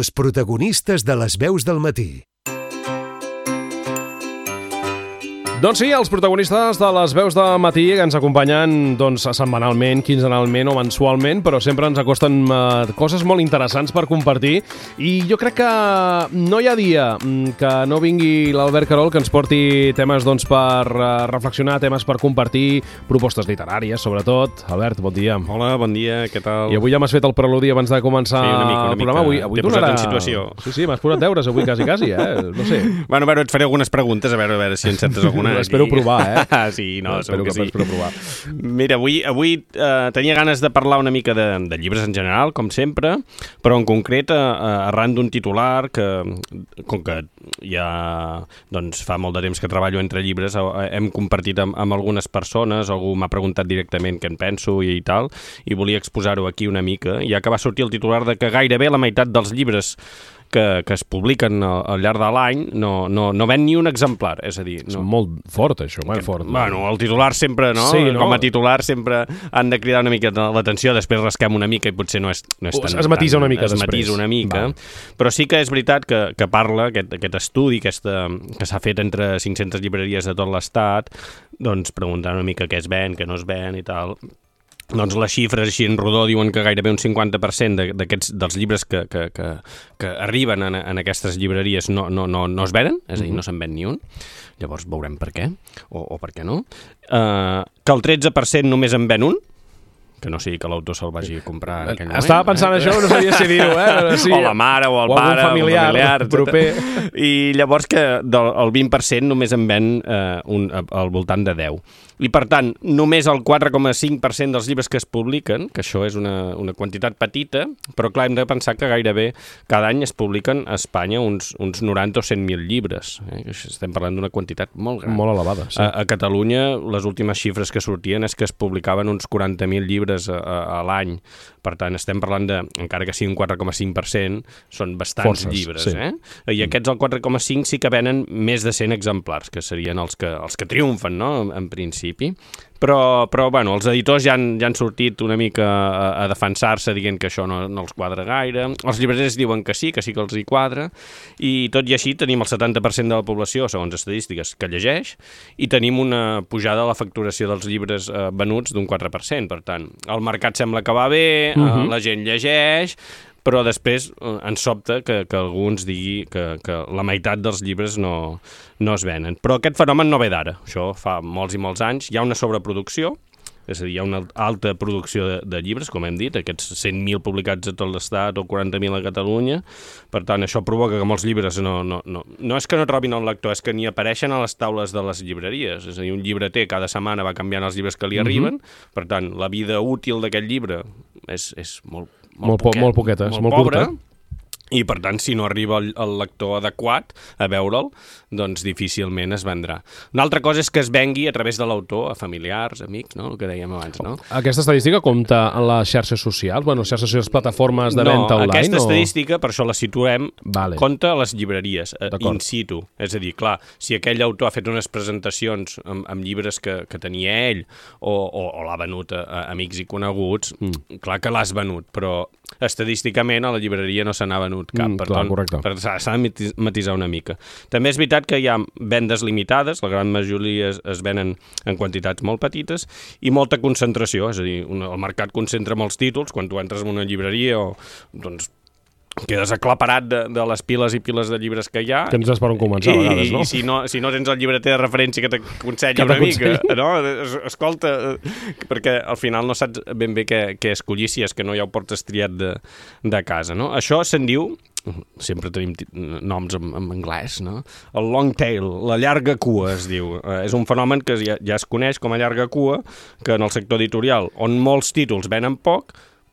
Els protagonistes de les veus del matí. Doncs sí, els protagonistes de les veus de matí que ens acompanyen setmanalment, quinzenalment o mensualment, però sempre ens acosten coses molt interessants per compartir. I jo crec que no hi ha dia que no vingui l'Albert Querol, que ens porti temes per reflexionar, temes per compartir, propostes literàries, sobretot. Albert, bon dia. Hola, bon dia, què tal? I avui ja m'has fet el preludi abans de començar el programa. Avui t'he posat en situació. Sí, m'has posat deures avui quasi, no sé. Bueno, et faré algunes preguntes, a veure si encertes alguna. Espero provar, Sí, espero que sí. Provar. Mira, avui tenia ganes de parlar una mica de llibres en general, com sempre, però en concret arran d'un titular que, com que ja fa molt de temps que treballo entre llibres, hem compartit amb algunes persones, algú m'ha preguntat directament què en penso i tal, i volia exposar-ho aquí una mica, ja que va sortir el titular de que gairebé la meitat dels llibres que es publiquen al llarg de l'any no ven ni un exemplar, és a dir... És molt fort, això, molt fort. Bueno, el titular sempre, no? Sí, no? Com a titular sempre han de cridar una mica l'atenció, després rasquem una mica i potser no és tan... Es matisa una mica després. Es matisa una mica, però sí que és veritat que parla, aquest estudi que s'ha fet entre 500 llibreries de tot l'estat, doncs preguntant una mica què es ven, què no es ven i tal... Doncs les xifres així en rodó diuen que gairebé un 50% dels llibres que arriben en aquestes llibreries no es venen, és a dir, no se'n ven ni un. Llavors veurem per què, o per què no. Que el 13% només en ven un, que no sigui que l'autor se'l vagi a comprar en aquell moment. Estava pensant això, no sabia si dir-ho, Sí. O la mare, o el pare, o un familiar proper. I llavors que el 20% només en ven al voltant de 10. I, per tant, només el 4,5% dels llibres que es publiquen, que això és una quantitat petita, però, clar, hem de pensar que gairebé cada any es publiquen a Espanya uns 90 o 100.000 llibres. Estem parlant d'una quantitat molt gran. Molt elevada, sí. A Catalunya, les últimes xifres que sortien és que es publicaven uns 40.000 llibres a l'any. Per tant, estem parlant de, encara que sigui un 4,5%, són bastants llibres. Sí. I aquests, el 4,5%, sí que venen més de 100 exemplars, que serien els que triomfen, no?, en principi. Però bueno, els editors ja han sortit una mica a defensar-se dient que això no els quadra gaire. Els llibreters diuen que sí que els hi quadra, i tot i així tenim el 70% de la població, segons estadístiques, que llegeix, i tenim una pujada de la facturació dels llibres venuts d'un 4%. Per tant, el mercat sembla que va bé, la gent llegeix, però després ens sobta que algú ens digui que la meitat dels llibres no es venen. Però aquest fenomen no ve d'ara, això fa molts i molts anys. Hi ha una sobreproducció, és a dir, hi ha una alta producció de llibres, com hem dit, aquests 100.000 publicats a tot l'estat o 40.000 a Catalunya. Per tant, això provoca que molts llibres no és que no trobin el lector, és que ni apareixen a les taules de les llibreries. És a dir, un llibreter cada setmana va canviant els llibres que li arriben, per tant, la vida útil d'aquest llibre és molt poqueta, és molt pobra, curta. I, per tant, si no arriba el lector adequat a veure'l, doncs difícilment es vendrà. Una altra cosa és que es vengui a través de l'autor, a familiars, amics, no?, el que dèiem abans, no? Aquesta estadística compta en les xarxes socials? Bueno, xarxes socials, plataformes de venda online? No, aquesta estadística, per això la situem, compta a les llibreries, in situ. És a dir, clar, si aquell autor ha fet unes presentacions amb llibres que tenia ell o l'ha venut a amics i coneguts, clar que l'has venut, però estadísticament a la llibreria no se n'ha venut cap, s'ha de matisar una mica. També és veritat que hi ha vendes limitades, la gran majoria es venen en quantitats molt petites, i molta concentració, és a dir, el mercat concentra molts títols. Quan tu entres en una llibreria doncs quedes aclaparat de les piles i piles de llibres que hi ha. Que no saps per on començar a vegades, no? I si no tens el llibreter de referència que t'aconsella una mica, no? Escolta, perquè al final no saps ben bé què escollir si és que no ja ho portes triat de casa, no? Això se'n diu, sempre tenim noms en anglès, no? El long tail, la llarga cua es diu. És un fenomen que ja es coneix com a llarga cua, que en el sector editorial, on molts títols venen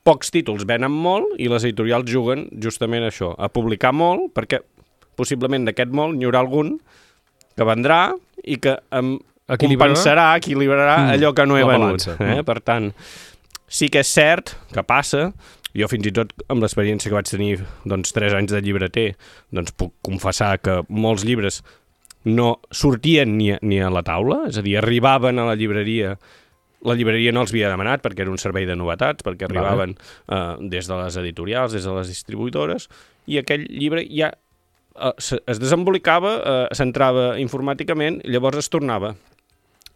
pocs títols venen molt, i les editorials juguen justament això, a publicar molt, perquè possiblement d'aquest molt n'hi haurà algun que vendrà i que compensarà, equilibrarà allò que no he venut. Per tant, sí que és cert que passa. Jo fins i tot amb l'experiència que vaig tenir 3 anys de llibreter, doncs puc confessar que molts llibres no sortien ni a la taula, és a dir, arribaven a la llibreria no els havia demanat perquè era un servei de novetats, perquè arribaven des de les editorials, des de les distribuïdores, i aquell llibre ja es desembolicava, s'entrava informàticament, i llavors es tornava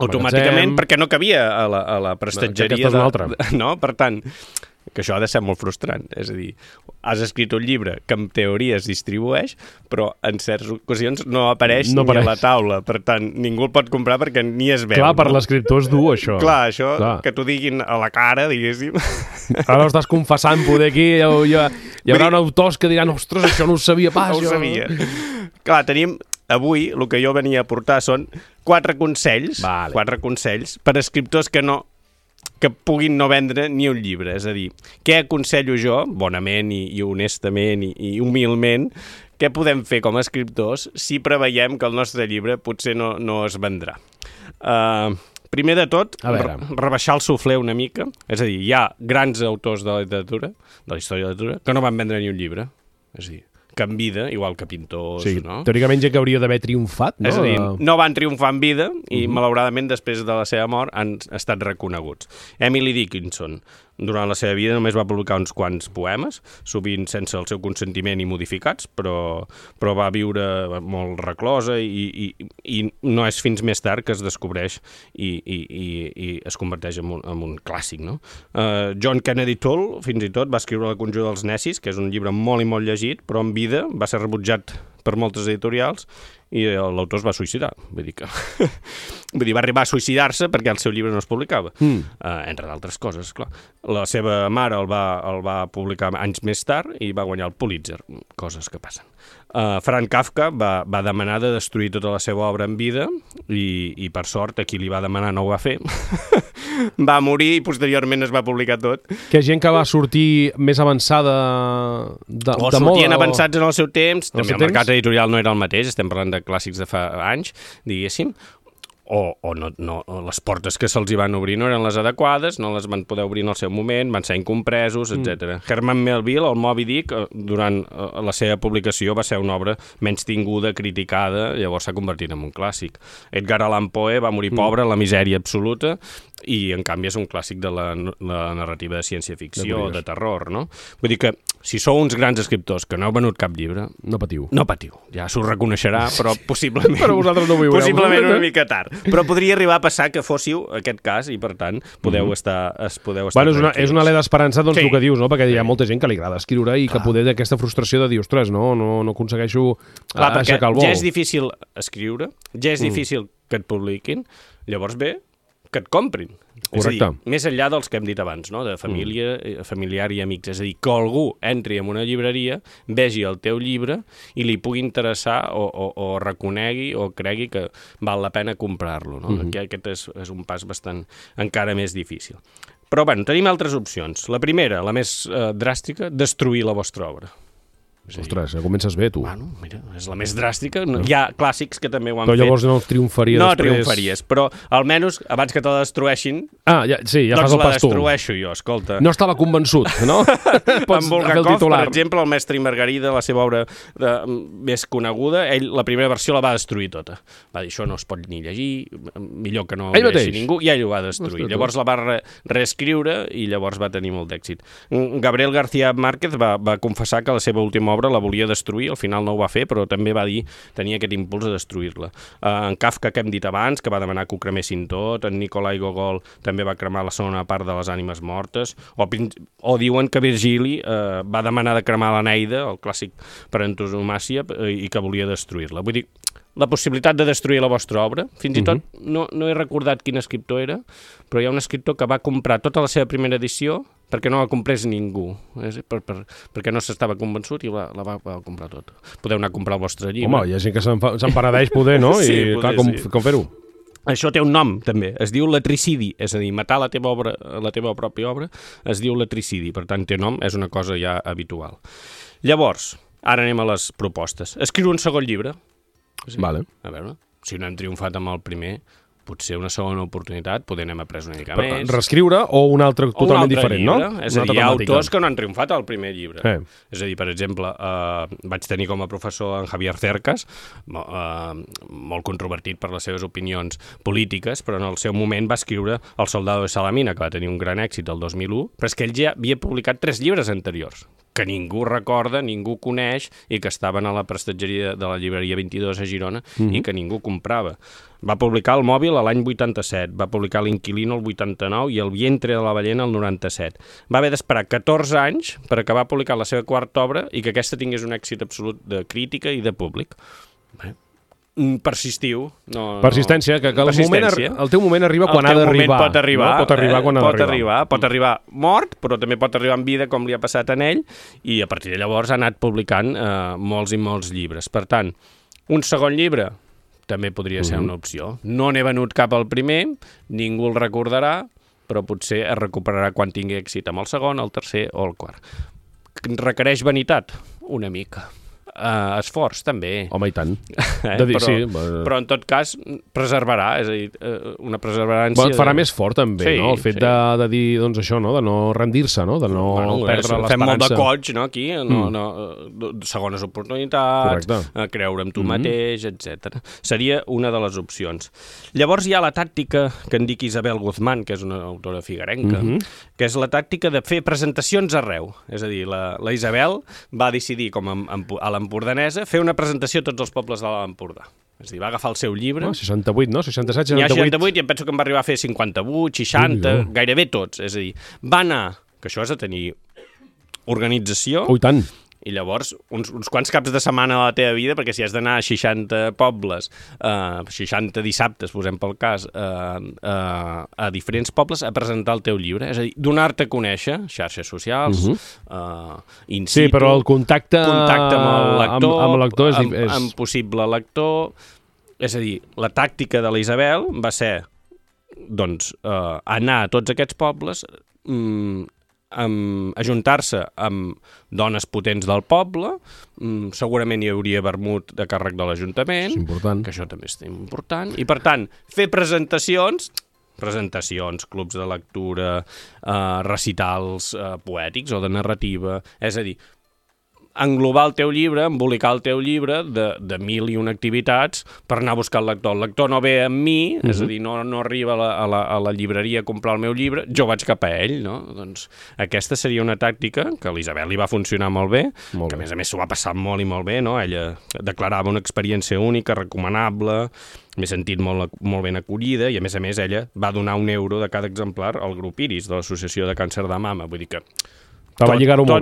automàticament perquè no cabia a la prestatgeria. Aquesta és una altra. No? Per tant, que això ha de ser molt frustrant. És a dir, has escrit un llibre que en teoria es distribueix, però en certes ocasions no apareix ni a la taula. Per tant, ningú el pot comprar perquè ni es veu. Clar, per l'escriptor és dur, això. Clar, això, que t'ho diguin a la cara, diguéssim. Ara ho estàs confessant, poder aquí hi haurà un autors que diran, ostres, això no ho sabia pas. No ho sabia. Clar, tenim... Avui, el que jo venia a portar són 4 consells, 4 consells per a escriptors que puguin no vendre ni un llibre. És a dir, què aconsello jo, bonament i honestament i humilment, què podem fer com a escriptors si preveiem que el nostre llibre potser no es vendrà? Primer de tot, rebaixar el suflé una mica. És a dir, hi ha grans autors de la literatura, de la història de la literatura, que no van vendre ni un llibre. És a dir, que en vida, igual que pintors, no? Teòricament gent que hauria d'haver triomfat, no? És a dir, no van triomfar en vida i, malauradament, després de la seva mort han estat reconeguts. Emily Dickinson, durant la seva vida, només va publicar uns quants poemes, sovint sense el seu consentiment i modificats, però va viure molt reclosa i no és fins més tard que es descobreix i es converteix en un clàssic, no? John Kennedy Toole, fins i tot, va escriure La conjura dels necis, que és un llibre molt i molt llegit, però en vida va ser rebutjat per moltes editorials i l'autor es va suïcidar. Vull dir, va arribar a suïcidar-se perquè el seu llibre no es publicava, entre d'altres coses, clar. La seva mare el va publicar anys més tard i va guanyar el Pulitzer, coses que passen. Frank Kafka va demanar de destruir tota la seva obra en vida i per sort, a qui li va demanar no ho va fer. Va morir i posteriorment es va publicar tot. Que gent que va sortir més avançada de moda. O sortien avançats en el seu temps, també el mercat editorial no era el mateix, estem parlant de clàssics de fa anys, diguéssim, o les portes que se'ls hi van obrir no eren les adequades, no les van poder obrir en el seu moment, van ser incompresos, etc. Herman Melville, el Moby Dick, durant la seva publicació va ser una obra menys tinguda, criticada, llavors s'ha convertit en un clàssic. Edgar Allan Poe va morir pobre en la misèria absoluta i, en canvi, és un clàssic de la narrativa de ciència-ficció, de terror, no? Vull dir que, si sou uns grans escriptors que no heu venut cap llibre... No patiu. No patiu. Ja s'ho reconeixerà, però possiblement... Però vosaltres no ho veureu. Possiblement una mica tard. Però podria arribar a passar que fóssiu aquest cas i, per tant, podeu estar... Bueno, és una alè d'esperança, doncs, el que dius, no? Perquè hi ha molta gent que li agrada escriure i que poder d'aquesta frustració de dir, ostres, no aconsegueixo aixecar el vol. Ja és difícil escriure, ja és difícil que et publiquin, llavors ve que et comprin. Correcte. És a dir, més enllà dels que hem dit abans, no? De família, familiar i amics. És a dir, que algú entri en una llibreria, vegi el teu llibre i li pugui interessar o reconegui o cregui que val la pena comprar-lo. No? Aquest és un pas bastant encara més difícil. Però, bueno, tenim altres opcions. La primera, la més dràstica, destruir la vostra obra. Ostres, comences bé, tu. Bueno, mira, és la més dràstica. Hi ha clàssics que també ho han fet. Però llavors no triomfaries després. No triomfaries, però almenys, abans que te la destrueixin... ja fas el pas tu. Doncs la destrueixo jo, escolta. No estava convençut, no? En Bulgakov, per exemple, el mestre i Margarida, la seva obra més coneguda, ell la primera versió la va destruir tota. Va dir, això no es pot ni llegir, millor que no ho llegeixi ningú, i ell ho va destruir. Llavors la va reescriure i llavors va tenir molt d'èxit. Gabriel García Márquez va confessar que la seva última obra la volia destruir, al final no ho va fer, però també va dir, tenia aquest impuls de destruir-la. En Kafka, que hem dit abans, que va demanar que ho cremessin tot, en Nikolai Gogol també va cremar la segona part de les ànimes mortes, o diuen que Virgili va demanar de cremar l'Eneida, el clàssic per antonomàsia, i que volia destruir-la. Vull dir, la possibilitat de destruir la vostra obra, fins i tot, no he recordat quin escriptor era, però hi ha un escriptor que va comprar tota la seva primera edició perquè no la comprés ningú, perquè no s'estava convençut i la va comprar tot. Podeu anar a comprar el vostre llibre. Home, hi ha gent que se'n penedeix poder, no? Sí, i clar, com fer-ho? Això té un nom, també. Es diu latricidi, és a dir, matar la teva pròpia obra es diu latricidi, per tant té nom, és una cosa ja habitual. Llavors, ara anem a les propostes. Escriure un segon llibre. Vale. A veure, si no hem triomfat amb el primer, potser una segona oportunitat, poder n'hem après una mica més. Reescriure o un altre totalment diferent, llibre, no? És a dir, hi ha autors que no han triomfat al primer llibre. És a dir, per exemple, vaig tenir com a professor en Javier Cercas, molt controvertit per les seves opinions polítiques, però en el seu moment va escriure El soldado de Salamina, que va tenir un gran èxit el 2001, però és que ell ja havia publicat 3 llibres anteriors, que ningú recorda, ningú coneix i que estaven a la prestatgeria de la llibreria 22 a Girona i que ningú comprava. Va publicar El mòbil a l'any 87, va publicar L'Inquilino el 89 i El vientre de la ballena el 97. Va haver d'esperar 14 anys per acabar publicant la seva quarta obra i que aquesta tingués un èxit absolut de crítica i de públic. Bé, persistiu. Persistència, que el teu moment arriba quan ha d'arribar. Pot arribar, no? Pot arribar quan ha d'arribar. Pot arribar mort, però també pot arribar en vida, com li ha passat a ell, i a partir de llavors ha anat publicant molts i molts llibres. Per tant, un segon llibre també podria ser una opció. No n'he venut cap al primer, ningú el recordarà, però potser es recuperarà quan tingui èxit amb el segon, el tercer o el quart. Requereix vanitat? Una mica. Esforç, també. Home, i tant. Però en tot cas preservarà, és a dir, una perseverança... Farà més fort, també, no? El fet de dir, doncs això, no? De no rendir-se, no? De no perdre l'esperança. Fem molt de coach, no? Aquí, segones oportunitats, creure en tu mateix, etc. Seria una de les opcions. Llavors hi ha la tàctica que en dic Isabel Guzmán, que és una autora figuerenca, que és la tàctica de fer presentacions arreu. És a dir, la Isabel va decidir, com a l'Empordanesa, fer una presentació a tots els pobles de l'Empordà. És a dir, va agafar el seu llibre... 68, no? 67, 68... N'hi ha 68 i em penso que em va arribar a fer 58, 60, gairebé tots. És a dir, va anar, que això és a tenir organització... Oh, i tant! I llavors, uns quants caps de setmana a la teva vida, perquè si has d'anar a 60 pobles, 60 dissabtes, posem pel cas, a diferents pobles, a presentar el teu llibre. És a dir, donar-te a conèixer, xarxes socials, in situ... Sí, però el contacte amb el lector, és... amb possible lector... És a dir, la tàctica de la Isabel va ser, doncs, anar a tots aquests pobles... ajuntar-se amb dones potents del poble, segurament hi hauria vermut de càrrec de l'Ajuntament, que això també és important, i per tant, fer presentacions, clubs de lectura, recitals poètics o de narrativa, és a dir, englobar el teu llibre, embolicar el teu llibre de mil i una activitats per anar a buscar el lector. El lector no ve amb mi, és a dir, no arriba a la llibreria a comprar el meu llibre, jo vaig cap a ell, no? Doncs aquesta seria una tàctica que a l'Isabel li va funcionar molt bé, que a més s'ho va passar molt i molt bé, no? Ella declarava una experiència única, recomanable, m'he sentit molt ben acollida i a més ella va donar €1 de cada exemplar al grup Iris de l'Associació de Càncer de Mama, vull dir que tot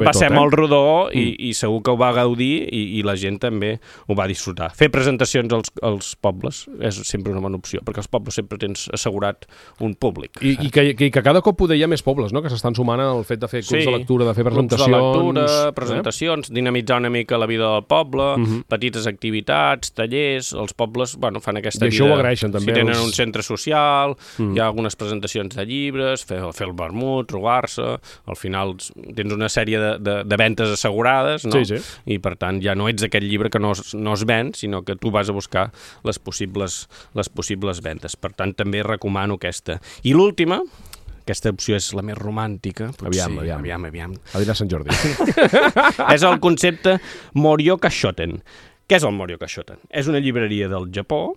va ser molt rodó i segur que ho va gaudir i la gent també ho va disfrutar. Fer presentacions als pobles és sempre una bona opció, perquè als pobles sempre tens assegurat un públic. I que cada cop poder hi ha més pobles, no?, que s'estan sumant al fet de fer clubs de lectura, de fer presentacions... Clubs de lectura, presentacions, dinamitzar una mica la vida del poble, petites activitats, tallers, els pobles fan aquesta vida. I això ho agraeixen també. Si tenen un centre social, hi ha algunes presentacions de llibres, fer el vermut, trobar-se, al final tens una sèrie de ventes assegurades, no? Sí. I per tant ja no ets aquell llibre que no es ven, sinó que tu vas a buscar les possibles ventes. Per tant, també recomano aquesta. I l'última, aquesta opció és la més romàntica. Aviam. A dir a Sant Jordi. És el concepte Morioka Shoten. Què és el Morioka Shoten? És una llibreria del Japó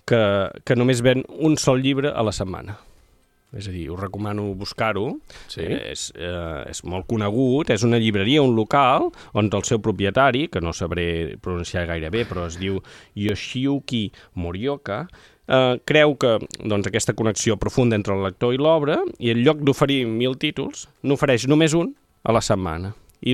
que només ven un sol llibre a la setmana. És a dir, us recomano buscar-ho, és molt conegut, és una llibreria, un local, on el seu propietari, que no sabré pronunciar gaire bé, però es diu Yoshiyuki Morioka, creu que aquesta connexió profunda entre el lector i l'obra, i en lloc d'oferir 1.000 títols, n'ofereix només un a la setmana. I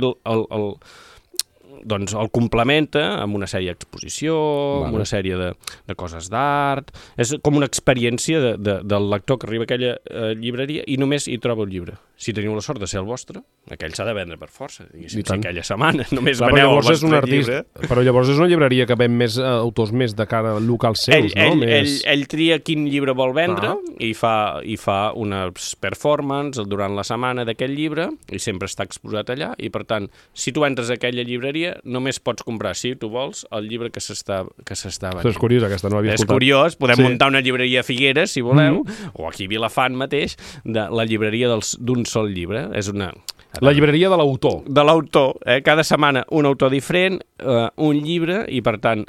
el complementa amb una sèrie d'exposició, amb una sèrie de coses d'art. És com una experiència del lector que arriba a aquella llibreria i només hi troba un llibre. Si teniu la sort de ser el vostre, aquell s'ha de vendre per força, diguéssim, si aquella setmana només veneu el vostre llibre. Però llavors és una llibreria que ven més autors més de cara a locals seus, no? Ell tria quin llibre vol vendre i fa unes performances durant la setmana d'aquell llibre i sempre està exposat allà i, per tant, si tu entres a aquella llibreria només pots comprar, si tu vols, el llibre que s'està venent. És curiós, aquesta no l'havia escoltat. És curiós, podem muntar una llibreria a Figueres, si voleu, o aquí a Vilafant mateix, de la llibreria d'un sol llibre. És una... La llibreria de l'autor. De l'autor. Cada setmana un autor diferent, un llibre, i per tant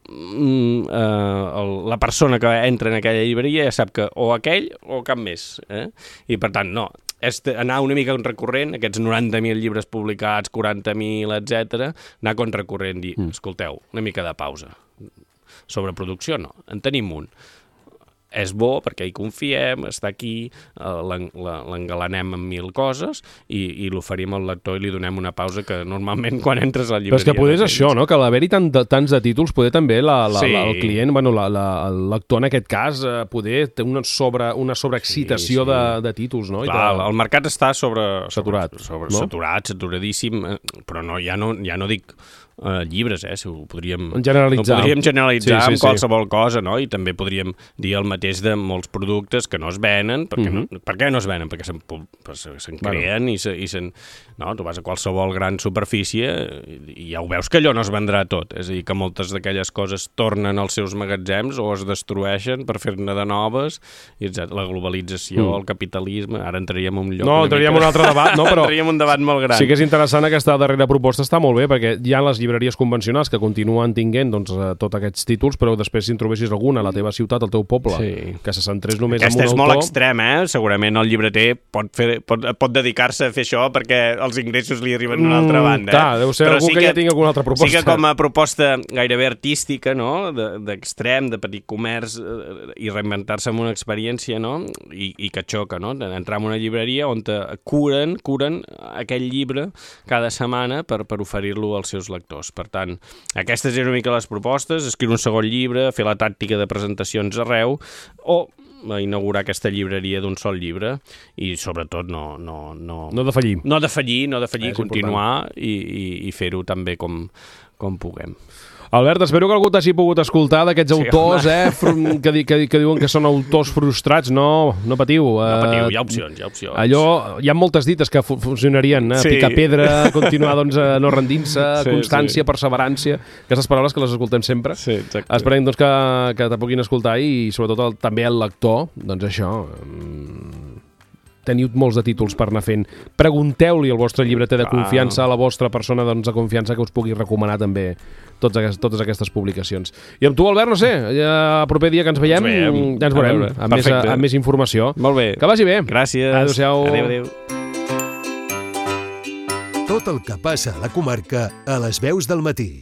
la persona que entra en aquella llibreria ja sap que o aquell o cap més. I per tant, no. és anar una mica contracorrent, aquests 90.000 llibres publicats, 40.000, etc. Anar contracorrent, dir, escolteu, una mica de pausa. Sobreproducció no, en tenim un. És bo perquè hi confiem, està aquí, l'engalanem amb 1000 coses i l'oferim al lector i li donem una pausa que normalment quan entres a la llibreria... Però és que poder és això, no? Que a l'haver-hi tants de títols, poder també el client, bueno, el lector en aquest cas, poder té una sobreexcitació de títols, no? Clar, el mercat està saturat, saturadíssim, però ja no dic llibres, si ho podríem generalitzar, amb qualsevol cosa, no? I també podríem dir el mateix de molts productes que no es venen. Per què no es venen? Perquè se'n creen i se'n... No? Tu vas a qualsevol gran superfície i ja ho veus que allò no es vendrà tot. És a dir, que moltes d'aquelles coses tornen als seus magatzems o es destrueixen per fer-ne de noves, i la globalització, el capitalisme... Ara entraríem en un lloc... No, entraríem en un altre debat, no, però... entraríem en un debat molt gran. Sí que és interessant, aquesta darrera proposta està molt bé, perquè hi ha les llibreries convencionals que continuen tinguent tots aquests títols, però després si en trobessis alguna a la teva ciutat, al teu poble, que se centrés només en un autor... Aquesta és molt extrem, Segurament el llibreter pot dedicar-se a fer això perquè els ingressos li arriben d'una altra banda. Clar, deu ser algú que ja tingui alguna altra proposta. Sí que com a proposta gairebé artística, no?, d'extrem, de petit comerç, i reinventar-se amb una experiència, no?, i que xoca, no?, d'entrar en una llibreria on curen aquell llibre cada setmana per oferir-lo als seus lectors. Per tant, aquestes eren una mica les propostes: escriure un segon llibre, fer la tàctica de presentacions arreu, o inaugurar aquesta llibreria d'un sol llibre i, sobretot, no defallir. No defallir, continuar i fer-ho també com puguem. Albert, espero que algú t'hagi pogut escoltar d'aquests autors, que diuen que són autors frustrats. No patiu. No patiu, hi ha opcions. Allò, hi ha moltes dites que funcionarien, picar pedra, continuar no rendint-se, constància, perseverància, aquestes paraules que les escoltem sempre. Sí, exacte. Esperem doncs, que te puguin escoltar i, sobretot, també el lector, doncs això... Teniu molts de títols per anar fent. Pregunteu-li al vostre llibreter de confiança, a la vostra persona de confiança, que us pugui recomanar també totes aquestes publicacions. I amb tu, Albert, no sé, el proper dia que ens veiem ja ens veurem amb més informació. Molt bé. Que vagi bé. Gràcies. Adéu-siau. Adéu. Tot el que passa a la comarca a les veus del matí.